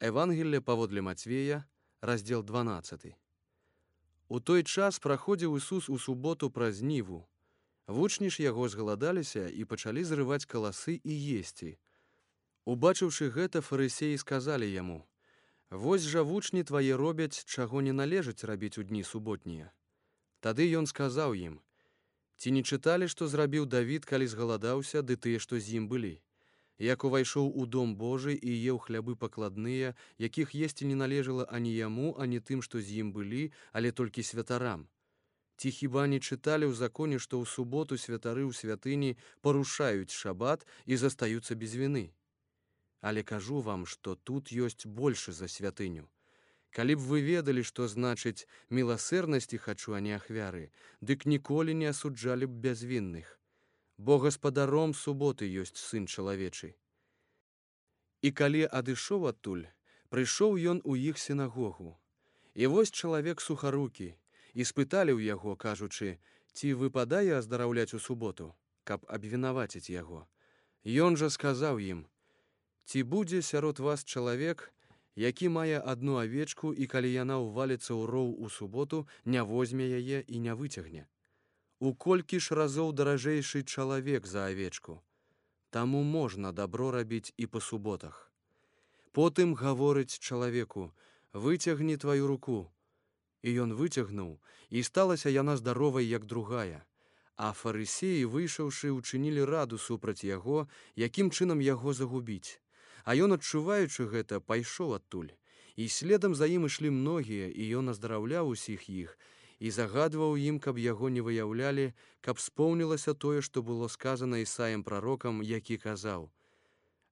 Евангелле паводле Мацвея, раздзел 12. У той час праходзіў Ісус у суботу праз ніву. Вучні ж яго згаладаліся і пачалі зрываць каласы і есці. Убачыўшы гэта, фарысеі сказалі яму: «Вось жа вучні твае робяць, чаго не належыць рабіць у дні суботнія». Тады ён сказаў ім: «Ці не чыталі, што зрабіў Давід, калі згаладаўся, ды тыя, што з ім былі? Як увайшоў у дом Божы і еў хлябы пакладныя, якіх есці не належала ані яму, ані тым, што з ім былі, але толькі святарам? Ці хіба не чыталі ў законе, што ў суботу святары ў святыні парушаюць шабат і застаюцца без віны? Але кажу вам, што тут ёсць большы за святыню. Калі б вы ведалі, што значыць міласэрнасці хачу, а не ахвяры, дык ніколі не асуджалі б бязвінных. Бо гаспадаром суботы ёсць сын чалавечы». І калі адышоў адтуль, прыйшоў ён у іх сінагогу. І вось чалавек сухарукі, і спыталі ў яго, кажучы: «Ці выпадае аздараўляць у суботу, каб абвінаваціць яго?» Ён жа сказаў ім: «Ці будзе сярод вас чалавек, які мае одну авечку, і калі яна ўваліцца ў роў у суботу, не возьме яе і не выцягне? У колькі ж разоў даражэйшы чалавек за авечку? Таму можна дабро рабіць і па суботах». Потым гаворыць чалавеку: «Выцягні тваю руку». І ён выцягнуў, і сталася яна здаровай, як другая. А фарысеі, выйшаўшы, учынілі раду супраць яго, якім чынам яго загубіць. А ён, адчуваючы гэта, пайшоў адтуль. І следам за ім ішлі многія, і ён аздараўляў усіх іх, і загадваў ім, каб яго не выяўлялі, каб споўнілася тое, што было сказана Ісаіям прарокам, які казаў: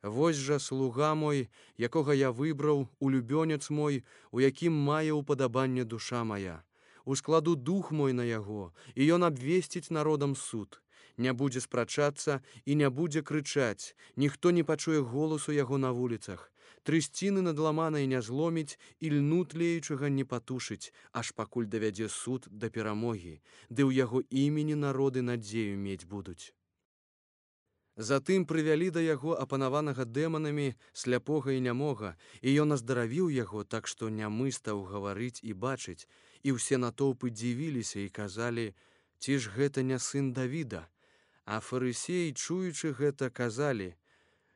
«Вось жа слуга мой, якога я выбраў, улюбёнец мой, у якім мае ўпадабанне душа моя. Ускладу дух мой на яго, і ён абвесціць народам суд. Не будзе спрачацца і не будзе крычаць, ніхто не пачуе голасу яго на вуліцах. Трысціны надламанай не зломіць і льну тлеючага не патушыць, аж пакуль давядзе суд да перамогі, ды ў яго імені народы надзею мець будуць». Затым прывялі да яго апанаванага дэманамі, сляпога і нямога, і ён аздаравіў яго, так што нямы стаў гаварыць і бачыць, і ўсе натоўпы дзівіліся і казалі: «Ці ж гэта не сын Давіда?» А фарысеі, чуючы гэта, казалі: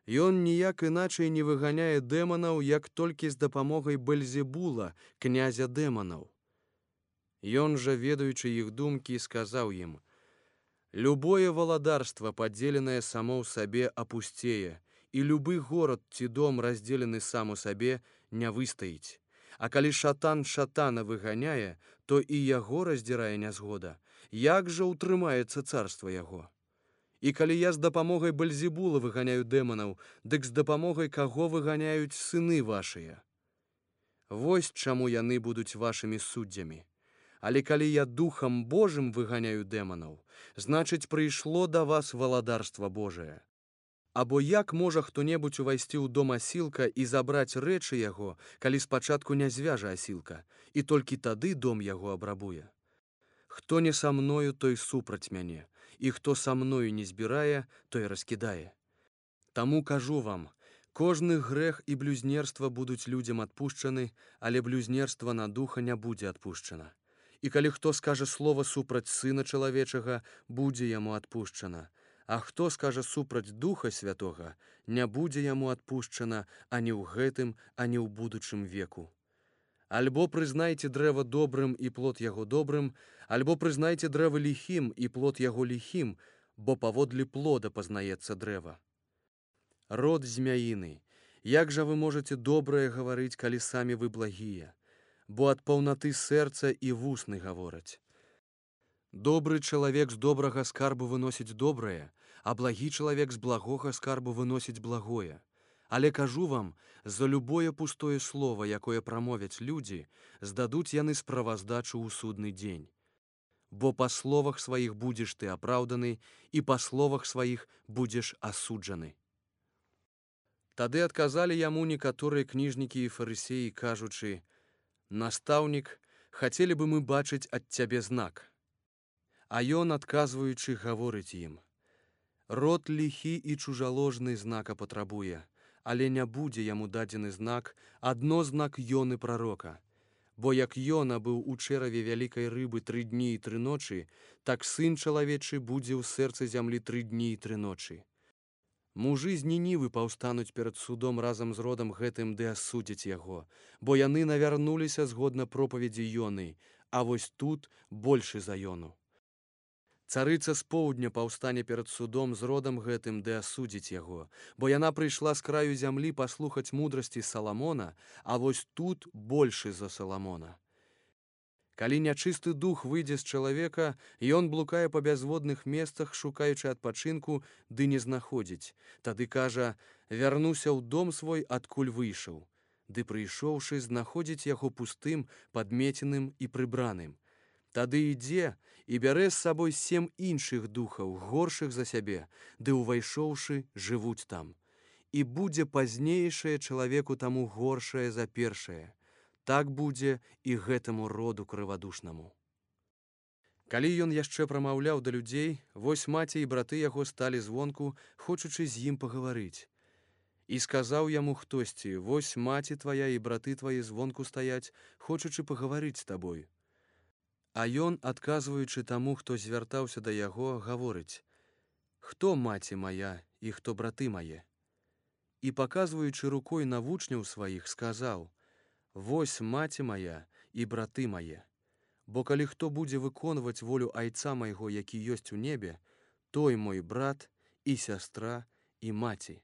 «Ён ніяк іначай не выганяе дэманаў, як толькі з дапамогай Бельзебула, князя дэманаў». Ён жа, ведаючы іх думкі, сказаў ім: «Любое валадарства, падзеленае само ў сабе, апусцее, і любы горад ці дом, раздзелены сам у сабе, не выстаіць. А калі шатан шатана выганяе, то і яго раздзірае нязгода. Як жа ўтрымаецца царства яго? І калі я з дапамогай Бельзебула выганяю дэманаў, дык з дапамогай каго выганяюць сыны вашыя? Вось чаму яны будуць вашымі суддзямі. Але калі я духам Божым выганяю дэманаў, значыць, прыйшло да вас валадарства Божае. Або як можа хто-небудзь увайсці ў дом асілка і забраць рэчы яго, калі спачатку не звяжа асілка, і толькі тады дом яго абрабуе? Хто не са мною, той супраць мяне, і хто са мною не збірае, той раскідае. Таму кажу вам, кожны грэх і блюзнерства будуць людзям адпушчаны, але блюзнерства на духа не будзе адпушчана. І калі хто скажа слова супраць Сына Чалавечага, будзе яму адпушчана. А хто скажа супраць Духа Святога, не будзе яму адпушчана ані ў гэтым, ані ў будучым веку. Альбо прызнайце дрэва добрым і плод яго добрым, альбо прызнайце дрэва ліхім і плод яго ліхім, бо паводле плода пазнаецца дрэва. Род змяіны, як жа вы можаце добрае гаварыць, калі самі вы благія? Бо ад паўнаты сэрца і вусны гавораць. Добры чалавек з добрага скарбу выносіць добрае, а благі чалавек з благога скарбу выносіць благое. Але кажу вам, за любое пустое слово, якое прамовяць людзі, здадуць яны справаздачу ў судны дзень. Бо па словах сваіх будзеш ты апраўданы, і па словах сваіх будзеш асуджаны. Тады адказалі яму некаторыя кніжнікі і фарысеі, кажучы: «Настаўнік, хацелі бы мы бачыць ад цябе знак». А ён, адказваючы, гаворыць ім: «Род ліхі і чужаложны знака патрабуе, але не будзе яму дадзены знак, адно знак Ёны прарока. Бо як Ёна быў у чэраве вялікай рыбы 3 дні і 3 ночы, так сын чалавечы будзе ў сэрцы зямлі 3 дні і 3 ночы. Мужы з Нінівы паўстануць перад судом разам з родам гэтым ды асудзяць яго, бо яны навярнуліся згодна пропаведзі Ёны, а вось тут большы за Ёну. Царыца з поўдня паўстане перад судом з родам гэтым ды асудзіць яго, бо яна прыйшла з краю зямлі паслухаць мудрасці Саламона, а вось тут большы за Саламона. Калі нячысты дух выйдзе з чалавека, ён блукае па бязводных месцах, шукаючы адпачынку, ды не знаходзіць. Тады кажа: «Вярнуся ў дом свой, адкуль выйшаў». Ды прыйшоўшы, знаходзіць яго пустым, падмеценым і прыбраным. Тады ідзе і бярэ з сабой 7 іншых духаў, горшых за сябе, ды ўвайшоўшы, жывуць там. І будзе пазнейшае чалавеку таму горшае за першае. Так будзе і гэтаму роду крывадушнаму. Калі ён яшчэ прамаўляў да людзей, вось маці і браты яго сталі звонку, хочучы з ім пагаварыць. І сказаў яму хтосьці: «Вось маці твая і браты твае звонку стаяць, хочучы пагаварыць з табой». А ён, адказваючы таму, хто звяртаўся да яго, гаворыць: «Хто маці мая і хто браты мае?» І, паказваючы рукой на вучняў сваіх, сказаў: «Вось маці моя і браты мае. Бо калі хто будзе выконваць волю Айца майго, які ёсць у небе, той мой брат і сястра і маці».